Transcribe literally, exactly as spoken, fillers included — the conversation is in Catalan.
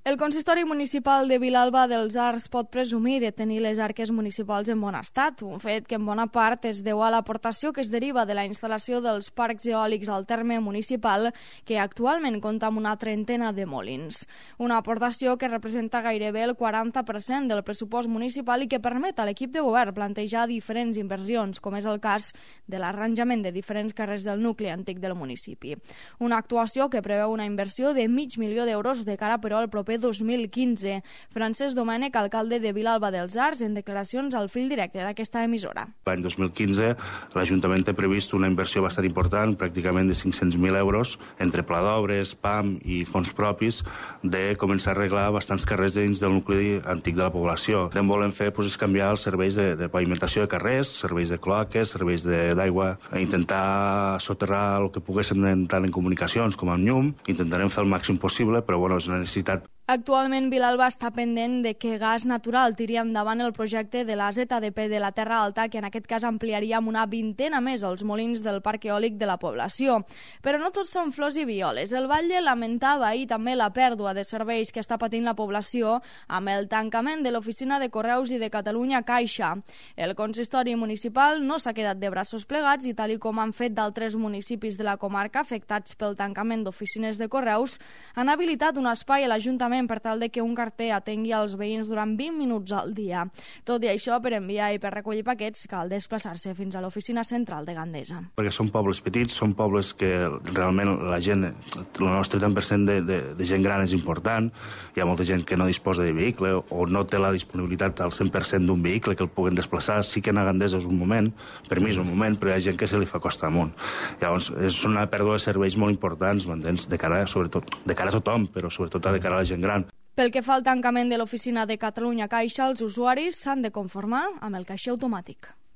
El consistori municipal de Vilalba dels Arcs pot presumir de tenir les arques municipals en bon estat, un fet que en bona part es deu a l'aportació que es deriva de la instal·lació dels parcs eòlics al terme municipal, que actualment compta amb una trentena de molins. Una aportació que representa gairebé el quaranta per cent del pressupost municipal i que permet a l'equip de govern plantejar diferents inversions, com és el cas de l'arranjament de diferents carrers del nucli antic del municipi. Una actuació que preveu una inversió de mig milió d'euros de cara, però, al proper dos mil quinze. Francesc Domènech, alcalde de Vilalba dels Arcs, en declaracions al fil directe d'aquesta emissora. L'any dos mil quinze l'Ajuntament té previst una inversió bastant important, pràcticament de cinc-cents mil euros, entre pla d'obres, P A M i fons propis, de començar a arreglar bastants carrers dins del nucli antic de la població. El que volem fer doncs, és canviar els serveis de, de pavimentació de carrers, serveis de cloaques, serveis d'aigua, intentar soterrar el que poguéssim tant en comunicacions com en llum. Intentarem fer el màxim possible, però bueno, és una necessitat. Actualment, Vilalba està pendent de que Gas Natural tiri endavant el projecte de la Z D P de la Terra Alta, que en aquest cas ampliaria amb una vintena més els molins del parc eòlic de la població. Però no tots són flors i violes. El Batlle lamentava ahir també la pèrdua de serveis que està patint la població amb el tancament de l'oficina de Correus i de Catalunya Caixa. El consistori municipal no s'ha quedat de braços plegats i, tal i com han fet d'altres municipis de la comarca afectats pel tancament d'oficines de Correus, han habilitat un espai a l'Ajuntament per tal de que un carter atengui als veïns durant vint minuts al dia. Tot i això, per enviar i per recollir paquets cal desplaçar-se fins a l'oficina central de Gandesa. Perquè són pobles petits, són pobles que realment la gent, el nostre trenta per cent de, de, de gent gran és important, hi ha molta gent que no disposa de vehicle o no té la disponibilitat al cent per cent d'un vehicle que el puguen desplaçar. Sí que anar a Gandesa és un moment, per mi és un moment, però hi ha gent que se li fa costa amunt. Llavors, és una pèrdua de serveis molt importants, m'entens? De cara, sobretot, de cara a tothom, però sobretot de cara a la gent gran. Pel que fa al tancament de l'oficina de Catalunya Caixa, els usuaris s'han de conformar amb el caixer automàtic.